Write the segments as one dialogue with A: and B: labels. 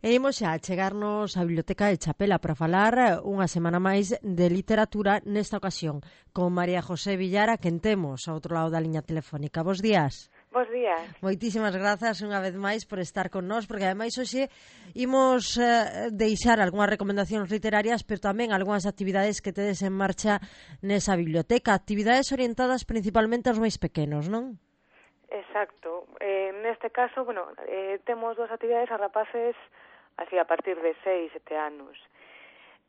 A: E imos xa a chegarnos á Biblioteca de Chapela para falar unha semana máis de literatura, nesta ocasión con María José Villara, quen temos ao outro lado da liña telefónica. Bos días.
B: Bos días.
A: Moitísimas grazas unha vez máis por estar con nós, porque ademais hoxe imos deixar algunhas recomendacións literarias, pero tamén algunhas actividades que tedes en marcha nesa biblioteca, actividades orientadas principalmente aos máis pequenos, non?
B: Exacto. Neste caso, temos dúas actividades a rapaces así a partir de 6, 7 anos.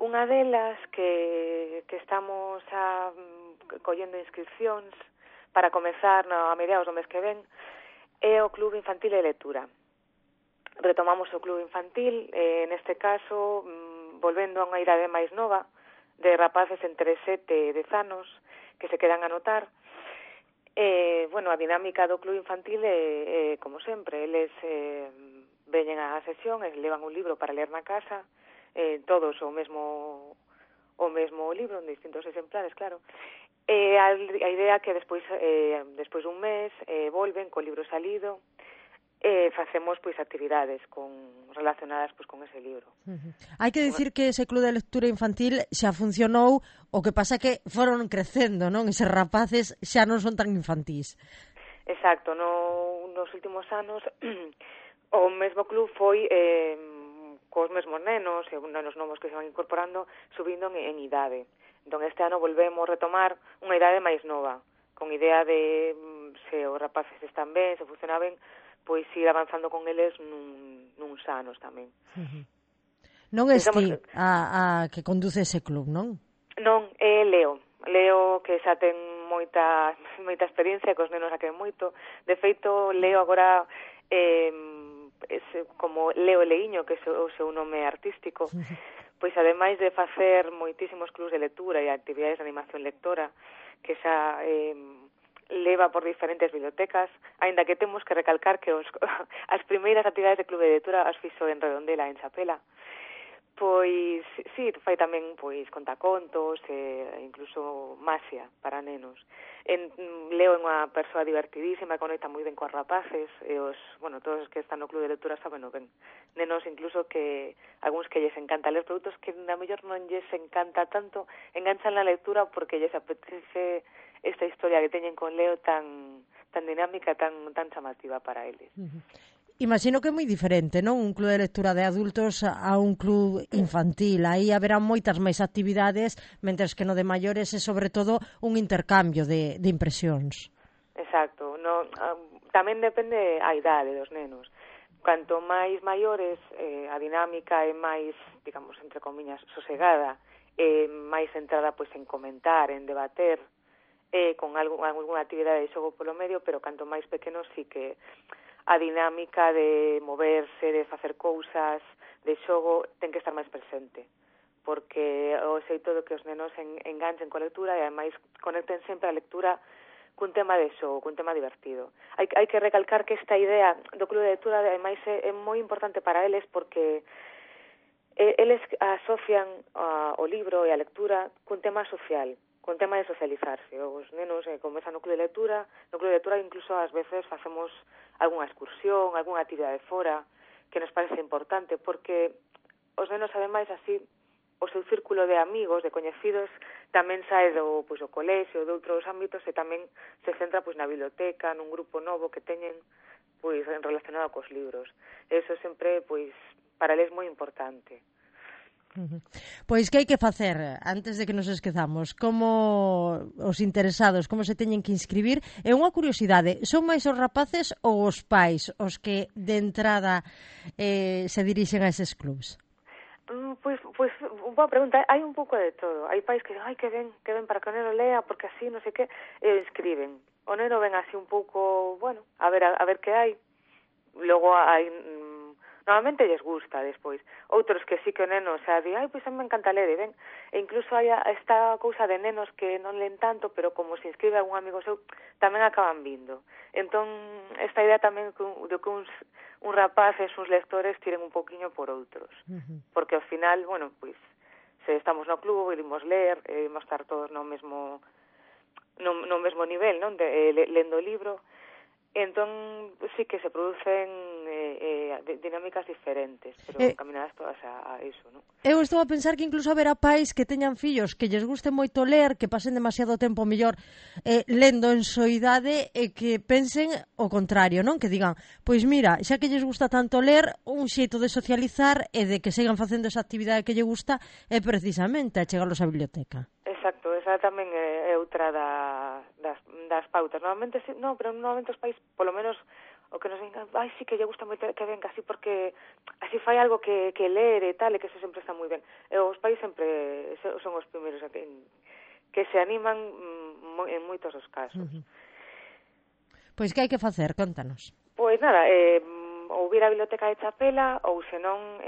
B: Unha delas que estamos collendo inscripcións para comezar a mediados do mes que ven é o Club Infantil de Lectura. Retomamos o Club Infantil, neste caso, volvendo a unha idade máis nova, de rapaces entre 7 e 10 anos, que se quedan a anotar. A dinámica do Club Infantil é, como sempre, eles veñen á sesión e levan un libro para ler na casa, todos o mesmo libro, en distintos exemplares, claro. A idea que despois dun mes volven co libro salido, facemos actividades relacionadas con ese libro.
A: Hai que dicir que ese club de lectura infantil xa funcionou, o que pasa que foron crecendo, non? Eses rapaces xa non son tan infantís.
B: Exacto, nos últimos anos o mesmo club foi cos mesmos nenos e nenos novos que se van incorporando, subindo en idade. Entón este ano volvemos retomar unha idade máis nova, con idea de se os rapaces están ben, se funcionan ben, pois ir avanzando con eles nuns anos tamén.
A: Non és ti a que conduce ese club, non?
B: Non, é Leo, que xa ten moita experiencia, que os nenos a queren moito. De feito, Leo agora como Leo Leiño, que é o seu nome artístico, pois ademais de facer moitísimos clubs de lectura e actividades de animación lectora, que xa leva por diferentes bibliotecas, aínda que temos que recalcar que as primeiras actividades de club de lectura as fixo en Redondela, en Chapela. Pois, sí, fai tamén contacontos e incluso maxia para nenos. Leo é unha persoa divertidísima, conecta moi ben coas rapaces, e todos os que están no club de lectura saben ben. Nenos incluso que algúns que lles encanta ler produtos que na mellor non lles encanta tanto, enganchan na lectura porque lles apetece esta historia que teñen con Leo tan dinámica, tan chamativa para eles.
A: Imagino que é moi diferente, non? Un club de lectura de adultos a un club infantil. Aí haberá moitas máis actividades, mentres que no de maiores é, sobre todo, un intercambio de impresións.
B: Exacto. Tamén depende a idade dos nenos. Canto máis maiores, a dinámica é máis, digamos, entre comiñas, sosegada, máis centrada en comentar, en debater, con algunha actividade de xogo polo medio, pero canto máis pequenos sí que a dinámica de moverse, de facer cousas, de xogo, ten que estar máis presente, porque o xeito de que os nenos enganchen coa lectura e ademais conecten sempre a lectura cun tema de xogo, cun tema divertido. Hai que recalcar que esta idea do club de lectura ademais é moi importante para eles porque eles asocian o libro e a lectura cun tema social, con tema de socializarse. Os nenos comezan no club de lectura incluso ás veces facemos algunha excursión, algunha actividade fora, que nos parece importante, porque os nenos, ademais, así, o seu círculo de amigos, de coñecidos, tamén sae do colexio, de outros ámbitos, e tamén se centra na biblioteca, nun grupo novo que teñen relacionado cos libros. Eso sempre, para eles, moi importante.
A: Pois que hai que facer antes de que nos esquezamos? Como os interesados, como se teñen que inscribir? É unha curiosidade, son máis os rapaces ou os pais os que de entrada se dirixen a eses clubs?
B: Pois, boa pregunta. Hai un pouco de todo. Hai pais que que ven para que o neno lea, porque así, non sei que, inscriben. O neno ven así un pouco, a ver que hai. Logo hai... Normalmente lles gusta despois. Outros que sí que o neno xa di, pois a mí me encanta ler, e ven. E incluso hai esta cousa de nenos que non len tanto, pero como se inscribe algún amigo seu, tamén acaban vindo. Entón, esta idea tamén de que uns rapaces, uns lectores, tiren un poquinho por outros. Porque ao final, se estamos no club, imos ler, imos estar todos no mesmo nivel, non? Lendo o libro. Entón, sí que se producen dinámicas diferentes, pero encaminadas todas a iso, non?
A: Eu estou a pensar que incluso haberá pais que teñan fillos que lles guste moito ler, que pasen demasiado tempo mellor lendo en soidade e que pensen o contrario, non? Que digan, pois mira, xa que lles gusta tanto ler, un xeito de socializar e de que sigan facendo esa actividade que lle gusta é precisamente a chegarlos á biblioteca.
B: Exacto, esa tamén é outra das pautas. Normalmente, pero normalmente os pais, polo menos, o que nos digan, sí que lle gusta moito que venga así porque así fai algo que ler e tal, e que eso sempre está moi ben. E os pais sempre son os primeiros que se animan en moitos dos casos.
A: Pois que hai que facer? Contanos.
B: Pois nada, ou vir á biblioteca de Chapela, ou senón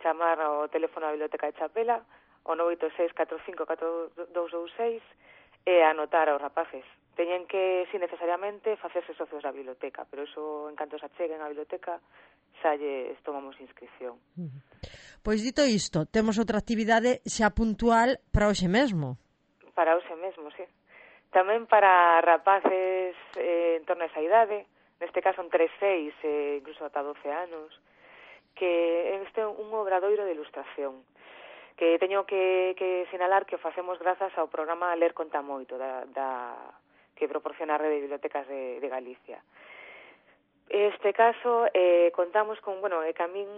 B: chamar ao teléfono da biblioteca de Chapela, o 986-45-4226, e anotar aos rapaces. Teñen que, sin necesariamente, facerse socios da biblioteca, pero eso, en canto se acheguen á biblioteca, xa lles tomamos inscripción.
A: Pois dito isto, temos outra actividade xa puntual para hoxe mesmo.
B: Para hoxe mesmo, sí. Tamén para rapaces en torno a esa idade, neste caso entre 6 e incluso ata 12 anos, que este é un obradoiro de ilustración, que teño que sinalar que o facemos grazas ao programa Ler Conta Moito, que proporciona a Rede de Bibliotecas de Galicia. Este caso contamos con, que a min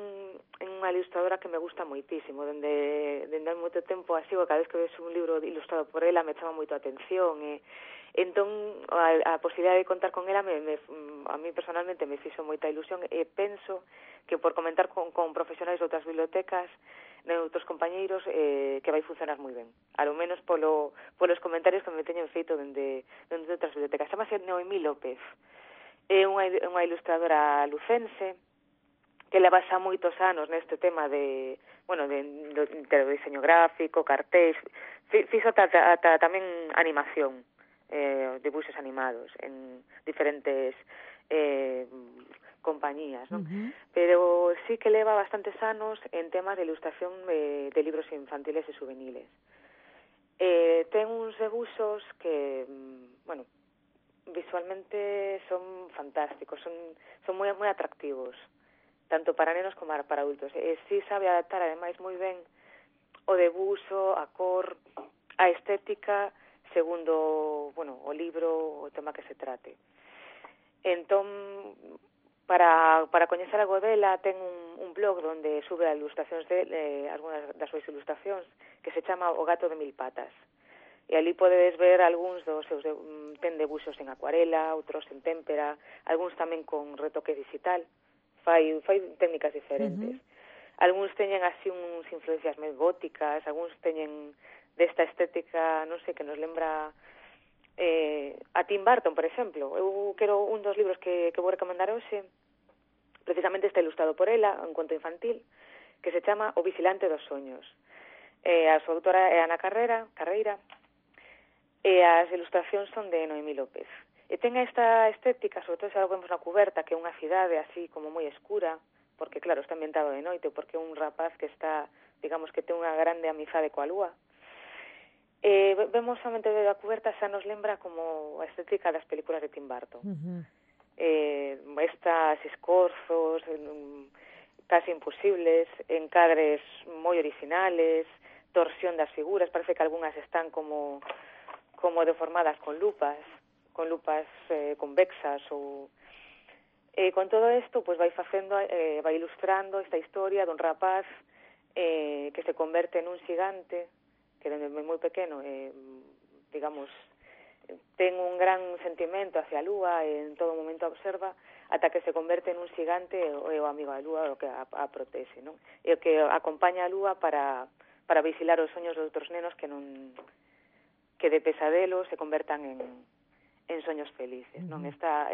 B: é unha ilustradora que me gusta moitísimo, dende hai moito tempo así, cada vez que ves un libro ilustrado por ela me chama moito a atención, entón a posibilidade de contar con ela a mí personalmente me fixo moita ilusión e penso que por comentar con profesionais de outras bibliotecas, de outros compañeiros, que vai funcionar moi ben. A lo menos polos comentarios que me teñen feito dende outras bibliotecas. Chámase Noemí López. É unha ilustradora lucense que leva xa moitos anos neste tema de diseño gráfico, cartéis, fixo ata tamén animación, dibuixos animados en diferentes compañías, non? Pero sí que leva bastantes anos en temas de ilustración de libros infantiles e juveniles. Ten uns debuxos que, visualmente son fantásticos, son moi atractivos, tanto para nenos como para adultos. E sí sabe adaptar, ademais, moi ben o debuxo, a cor, a estética, segundo, o libro, o tema que se trate. Entón, para coñecer algo dela, ten un blog onde sube as ilustracións algunhas das súas ilustracións, que se chama O Gato de Mil Patas. E ali podedes ver algúns dos seus ten debuxos en acuarela, outros en témpera, algúns tamén con retoque digital. Fai técnicas diferentes. Algúns teñen así uns influencias máis góticas, algúns teñen desta estética, non sei, que nos lembra a Tim Burton, por exemplo. Eu quero un dos libros que vou recomendar hoxe, precisamente está ilustrado por ela, un conto infantil, que se chama O Vigilante dos Soños. A súa autora é Ana Carreira, e as ilustracións son de Noemí López. E ten esta estética, sobre todo se vemos na cuberta, que é unha cidade así como moi escura, porque claro, está ambientado de noite, porque é un rapaz que está, digamos, que ten unha grande amizade coa lúa. Vemos somente da cuberta, xa nos lembra como a estética das películas de Tim Burton. Estas escorzos casi imposibles, encadres moi originales, torsión das figuras, parece que algunhas están como deformadas con lupas convexas ou con todo isto, pois vai ilustrando esta historia dun rapaz que se converte en un xigante que dende moi pequeno digamos ten un gran sentimento hacia a lúa e en todo momento observa ata que se converte en un xigante e o amigo da lúa o que a protege, non? E o que acompaña a lúa para vigilar os soños de outros nenos que de pesadelo se convertan en soños felices, non? Esta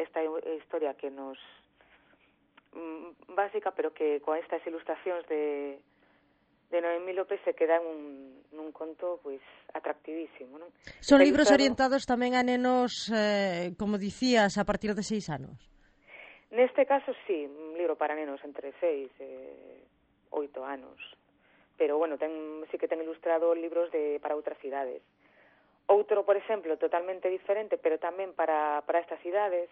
B: historia que nos básica, pero que con estas ilustracións de Noemí López se queda nun conto pois atractivísimo, non?
A: Son libros orientados tamén a nenos, como dicías, a partir de 6 anos?
B: Neste caso, sí, un libro para nenos entre 6 e 8 anos. Pero, sí que ten ilustrado libros para outras idades. Outro, por exemplo, totalmente diferente, pero tamén para estas idades,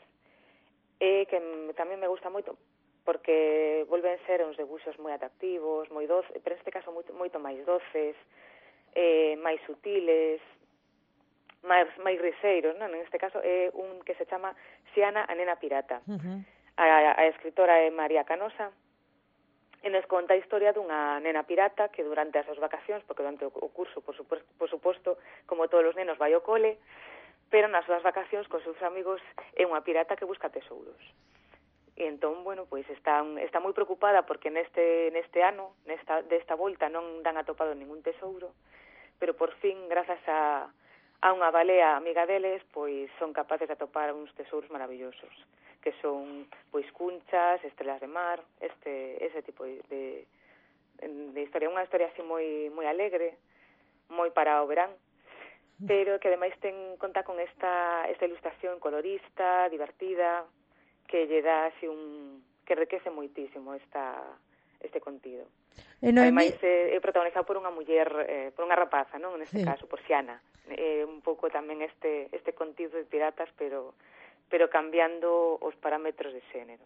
B: e que tamén me gusta moito porque volven ser uns debuxos moi atractivos, moi doces, pero neste caso moito máis doces, máis sutiles, máis riseiros, non? En este caso é un que se chama Xiana, a nena pirata. A escritora é María Canosa, e nos conta a historia dunha nena pirata que durante as súas vacacións, porque durante o curso, por suposto, como todos os nenos, vai ao cole, pero nas súas vacacións con seus amigos é unha pirata que busca tesouros. E entón, bueno, pois está moi preocupada porque neste ano, desta volta, non dan atopado ningún tesouro, pero por fin, grazas a unha balea amiga deles, pois son capaces de atopar uns tesouros maravillosos, que son pois cunchas, estrelas de mar, ese tipo de historia, unha historia así moi alegre, moi para o verán, pero que ademais conta con esta ilustración colorista, divertida, que lle dá así que enriquece moitísimo este contido. Ademais, é protagonizado por unha muller, por unha rapaza, non? Neste caso, por Xiana. Un pouco tamén este contido de piratas, pero cambiando os parámetros de xénero.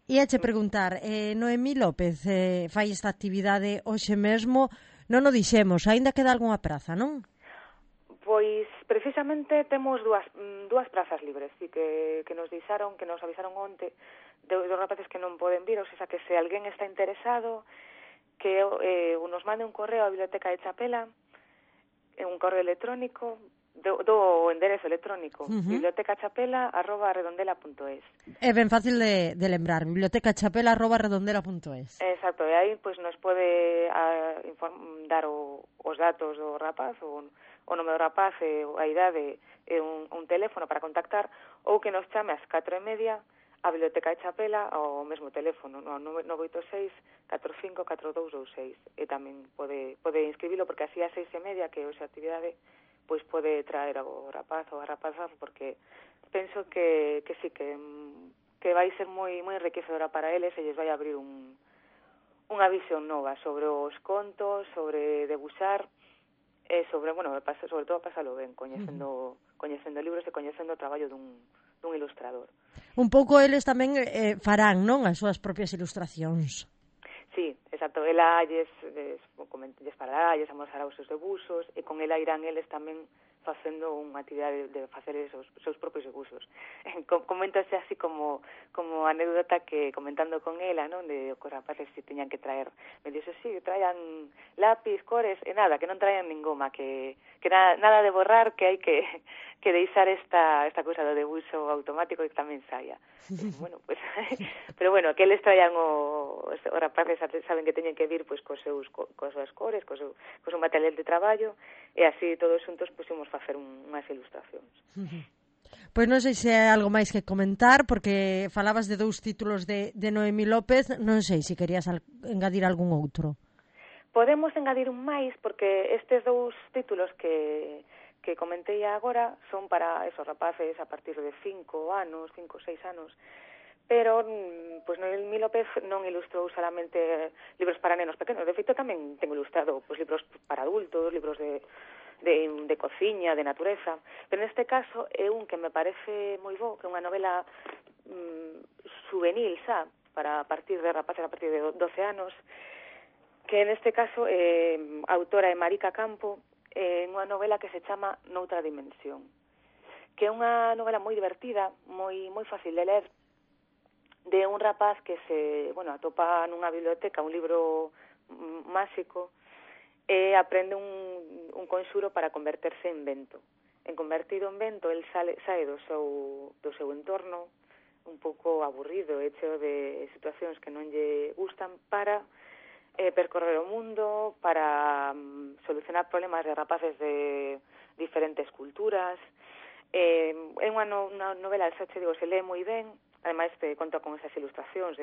A: Iache preguntar, Noemí López fai esta actividade hoxe mesmo, non o dixemos, aínda queda algunha praza, non?
B: Pois, precisamente, temos dúas prazas libres, e que nos avisaron onte, dos rapaces que non poden vir, ou seja, que se alguén está interesado, que nos mande un correo á Biblioteca de Chapela, un correo electrónico, do enderezo electrónico, bibliotecachapela@redondela.es.
A: É ben fácil de lembrar, bibliotecachapela@redondela.es.
B: Exacto, e aí pois nos pode dar os datos do rapaz, o nome do rapaz, a idade e un teléfono para contactar, ou que nos chame ás 4:30 a Biblioteca de Chapela ao mesmo teléfono, no 986 45 4226, e tamén pode inscribilo porque así ás 6:30, que hoxe a actividade, pois pode traer ao rapaz ou a rapaza, porque penso que sí, que vai ser moi enriquecedora para eles e lles vai abrir unha visión nova sobre os contos, sobre debuxar, e sobre todo pasalo ben, coñecendo libros e coñecendo o traballo dun ilustrador.
A: Un pouco eles tamén farán, non, as súas propias ilustracións.
B: Sí, exacto, ela lles falará, lles amosará os seus debuxos, e con ela irán eles tamén facendo unha actividade de facer esos seus propios debuxos. Coméntase así como anécdota que comentando con ela, non, de os rapaces se tiñan que traer, me dixo, sí, traían lápiz, cores, e nada, que non traían ningoma, que nada de borrar, que hai que deixar esta cousa do debuxo automático e que tamén saia. Bueno, pues, pero bueno, que eles traían os rapaces saben que teñen que vir pois coas súas cores, co seu material de traballo, e así todos xuntos puxemos facer unhas ilustracións.
A: Pois non sei se hai algo máis que comentar, porque falabas de 2 títulos de Noemí López, non sei se querías engadir algún outro.
B: Podemos engadir un máis, porque estes 2 títulos que comentei agora son para esos rapaces a partir de 5 anos, 5 ou 6 anos, pero pois Noemí López non ilustrou solamente libros para nenos pequenos, de feito tamén ten ilustrado pois libros para adultos, libros de cociña, de natureza, pero neste caso é un que me parece moi bo, que é unha novela juvenil, xa, para partir de rapaces a partir de 12 anos, que neste caso a autora é Marica Campo, unha novela que se chama Noutra dimensión, que é unha novela moi divertida, moi fácil de ler, de un rapaz que se atopa nunha biblioteca un libro máxico e aprende un conxuro para converterse en vento. En convertido en vento, el sae do seu entorno un pouco aburrido, cheo de situacións que non lle gustan, para percorrer o mundo, para solucionar problemas de rapaces de diferentes culturas. É unha novela, xa che digo, se lee moi ben, ademais conta con esas ilustracións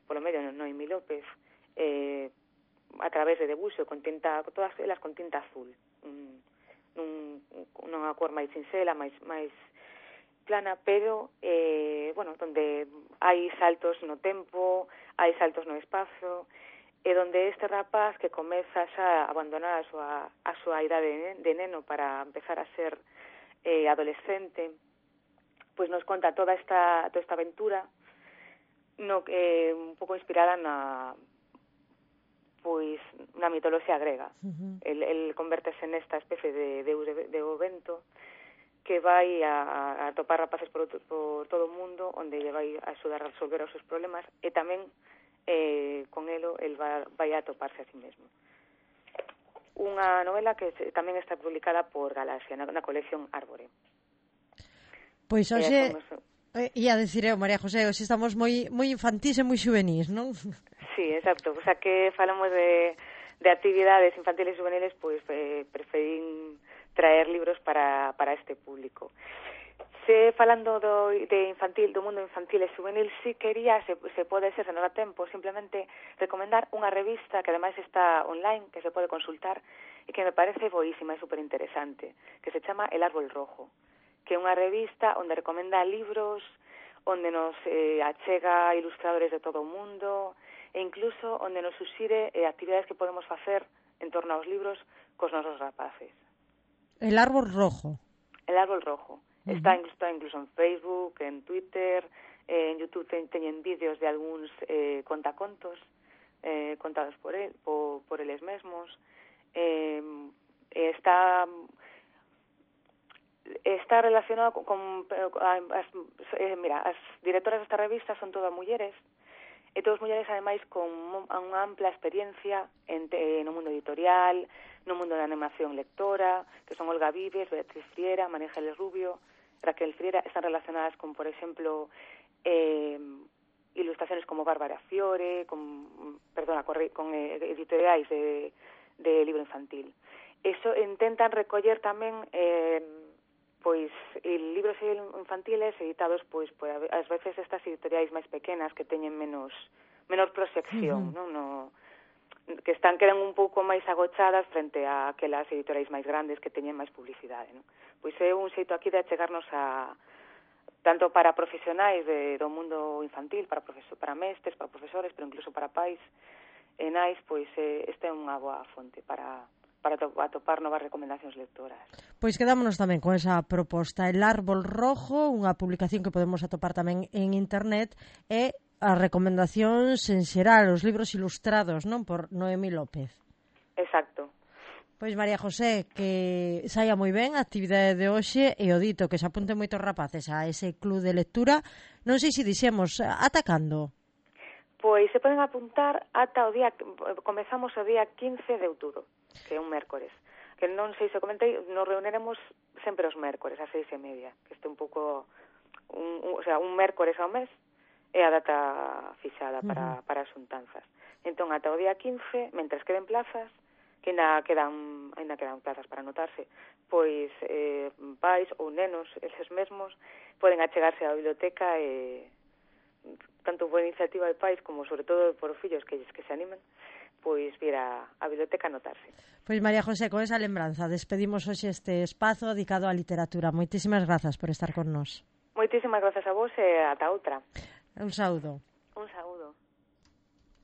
B: polo medio de Noemí López, a través de debuxo, todas elas con tinta azul, nunha cor máis sinxela, máis plana, pero donde hai saltos no tempo, hai saltos no espazo, e donde este rapaz que comeza xa a abandonar a súa idade de neno para empezar a ser adolescente, pois nos conta toda esta aventura un pouco inspirada na mitoloxía grega. El convértese nesta especie de deus do vento que vai a topar rapaces por todo o mundo, onde lle vai a axudar a resolver os seus problemas, e tamén con el vai a toparse a sí mesmo. Unha novela que tamén está publicada por Galaxia na colección Árbore.
A: Pois hoxe ia dicir eu, María José, hoxe estamos moi infantís e moi xuvenís, non?
B: Sí, exacto. O sea, que falamos de actividades infantiles e juveniles, pois preferín traer libros para este público. Falando do mundo infantil e juvenil, si quería, se pode ser, se non dá tempo, simplemente recomendar unha revista que ademais está online, que se pode consultar, e que me parece boísima e superinteresante, que se chama El Árbol Rojo, que é unha revista onde recomenda libros, onde nos achega ilustradores de todo o mundo, e incluso onde nos suxire actividades que podemos facer en torno aos libros cos nosos rapaces.
A: El Árbol Rojo.
B: El Árbol Rojo. Está incluso en Facebook, en Twitter, en YouTube teñen vídeos de algúns contacontos contados por eles mesmos. Está relacionado con as directoras desta revista son todas mulleres, e todas mulleres ademais con unha ampla experiencia no mundo editorial, no mundo da animación lectora, que son Olga Vives, Beatriz Friera, María Ángeles Rubio, Raquel Friera, están relacionadas con, por exemplo, ilustraciones como Bárbara Fiore, con editoriais de libro infantil. Eso intentan recoller tamén libros infantiles editados ás veces estas editoriais máis pequenas que teñen menor proxección, non? Que quedan un pouco máis agochadas frente a aquelas editoriais máis grandes que teñen máis publicidade, non? Pois é un xeito aquí de achegarnos tanto para profesionais do mundo infantil, para mestres, para profesores, pero incluso para pais e nais, pois esta é unha boa fonte para atopar novas recomendacións lectoras.
A: Pois quedámonos tamén con esa proposta, El Árbol Rojo, unha publicación que podemos atopar tamén en internet, e as recomendacións en xeral, os libros ilustrados, non? Por Noemí López.
B: Exacto.
A: Pois María José, que saia moi ben a actividade de hoxe, e o dito que se apunten moitos rapaces a ese club de lectura. Non sei se dixemos, ata cando?
B: Pois se poden apuntar ata comezamos o día 15 de outubro, que é un mércores. Que non sei se comentei, nos reuniremos sempre os mércores, ás 6:30, que este un pouco, un mércores ao mes, é a data fixada para as xuntanzas. Entón, ata o día 15, mentres queden plazas, que ainda quedan plazas para anotarse, pois pais ou nenos, eses mesmos, poden achegarse á biblioteca e tanto por iniciativa de pais como sobre todo por fillos que se animen, pois vir a biblioteca a anotarse.
A: Pois María José, con esa lembranza despedimos hoxe este espazo dedicado á literatura. Moitísimas grazas por estar con nós.
B: Moitísimas grazas a vos e ata outra.
A: Un saúdo.
B: Un saúdo.